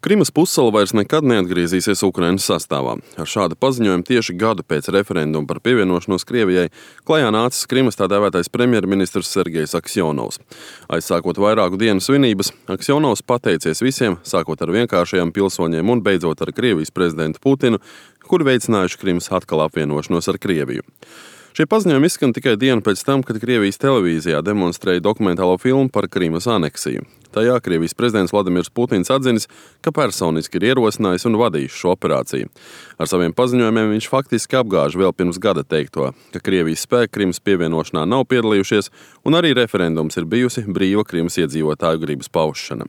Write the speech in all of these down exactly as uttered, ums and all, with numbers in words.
Krimas pussala vairs nekad neatgriezīsies Ukrainas sastāvā. Ar šādu paziņojumu tieši gadu pēc referenduma par pievienošanos Krievijai klajā nācis Krimas tā dēvētais premjerministrs Sergejs Aksjonovs. Aizsākot vairāku dienu svinības, Aksjonovs pateicies visiem, sākot ar vienkāršajiem pilsoņiem un beidzot ar Krievijas prezidentu Putinu, kuri veicinājuši Krimas atkal apvienošanos ar Krieviju. Šie paziņojumi izskan tikai dienu pēc tam, kad Krievijas televīzijā demonstrēja dokumentālo filmu par Krimas aneksiju. Tajā Krievijas prezidents Vladimirs Putins atzinis, ka personiski ir ierosinājis un vadījis šo operāciju. Ar saviem paziņojumiem viņš faktiski apgāž vēl pirms gada teikto, ka Krievijas spēki Krimas pievienošanā nav piedalījušies un arī referendums ir bijusi brīva Krimas iedzīvotāju gribas paušana.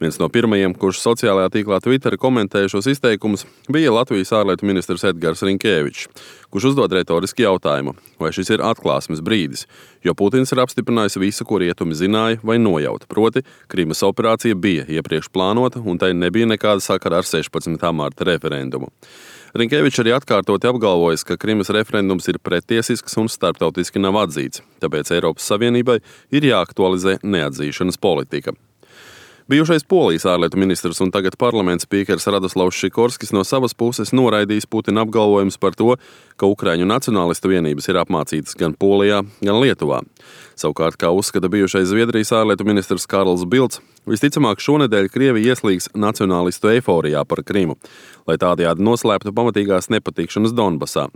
Viens no pirmajiem, kurš sociālajā tīklā Twitter komentēja šos izteikumus, bija Latvijas ārlietu ministrs Edgars Rinkēvičs, kurš uzdod retoriski jautājumu, vai šis ir atklāsmes brīdis, jo Putins ir apstiprinājis visu, ko rietumi zināja vai nojauta, proti Krimas operācija bija iepriekš plānota un tai nebija nekāda sakara ar sešpadsmitā marta referendumu. Rinkēvičs arī atkārtoti apgalvojis, ka Krimas referendums ir prettiesisks un starptautiski nav atzīts, tāpēc Eiropas Savienībai ir jāaktualizē neatzīšanas politika. Bijušais Polijas ārlietu ministrs un tagad parlamenta spīkers Radoslavs Šikorskis no savas puses noraidījis Putina apgalvojumus par to, ka Ukraiņu nacionālistu vienības ir apmācītas gan Polijā, gan Lietuvā. Savukārt, kā uzskata bijušais Zviedrijas ārlietu ministrs Karls Bilds, visticamāk šonedēļ Krievija ieslīgs nacionālistu eiforijā par Krimu, lai tādējādi noslēptu pamatīgās nepatikšanas Donbasā.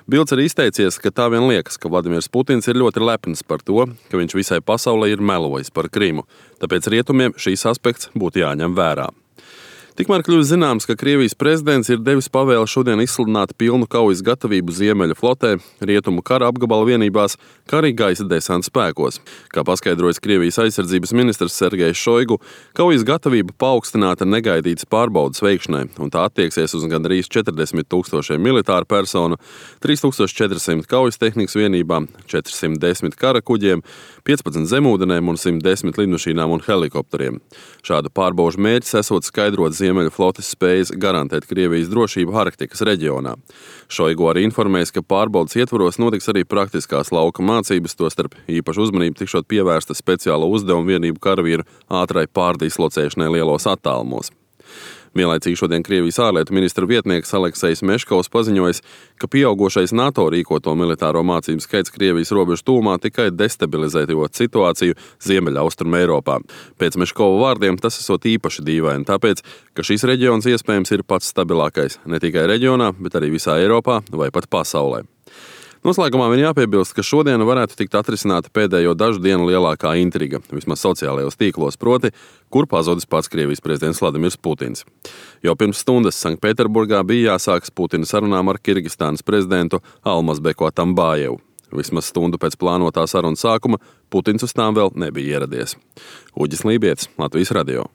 Bilds arī izteicies, ka tā vien liekas, ka Vladimirs Putins ir ļoti lepns par to, ka viņš visai pasaulē ir melojis par Krimu, tāpēc rietumiem šīs aspekts būtu jāņem vērā. Tikmēr kļūst zināms, ka Krievijas prezidents ir devis pavēli šodien izsludināt pilnu kaujas gatavību Ziemeļu flotē, rietumu kara apgabala vienībās, kā arī gaisa desanta spēkos. Kā paskaidrojas Krievijas aizsardzības ministrs Sergejs Šoigu, kaujas gatavība paaugstināta negaidītas pārbaudas veikšanai, un tā attieksies uz gandrīz četrdesmit tūkstošiem militāru personu, trīs tūkstoši četri simti kaujas tehnikas vienībām, četri simti desmit kara kuģiem, piecpadsmit zemūdenēm un simt desmit lidmašīnām un helikopteriem. Šādu pārbaužu mērķis esot skaidrot Ziemeļu flotes spējas garantēt Krievijas drošību Arktikas reģionā. Šoigu arī informēs, ka pārbaudas ietvaros notiks arī praktiskās lauka mācības, tostarp īpašu uzmanību tikšot pievērsta speciālo uzdevumu vienību karavīru ātrai pārdislocēšanai lielos attālumos. Vienlaicīgi šodien Krievijas ārlietu ministra vietnieks Aleksejs Meškovs paziņojis, ka pieaugošais NATO rīkoto militāro mācību skaits Krievijas robežu tūmā tikai destabilizējot situāciju Ziemeļaustrumu Eiropā. Pēc Meškova vārdiem tas esot īpaši dīvaini, tāpēc, ka šis reģions iespējams ir pats stabilākais ne tikai reģionā, bet arī visā Eiropā vai pat pasaulē. Noslēgumā vien jāpiebilst, ka šodien varētu tikt atrisināta pēdējo dažu dienu lielākā intriga, vismaz sociālajos tīklos, proti, kur pazudis pats Krievijas prezidents Vladimirs Putins. Jau pirms stundas Sanktpēterburgā bija jāsākas Putina sarunām ar Kirgistānas prezidentu Almazbeku Atambājevu. Vismaz stundu pēc plānotā sarunas sākuma Putins uz tām vēl nebija ieradies. Uģis Lībietis, Latvijas radio.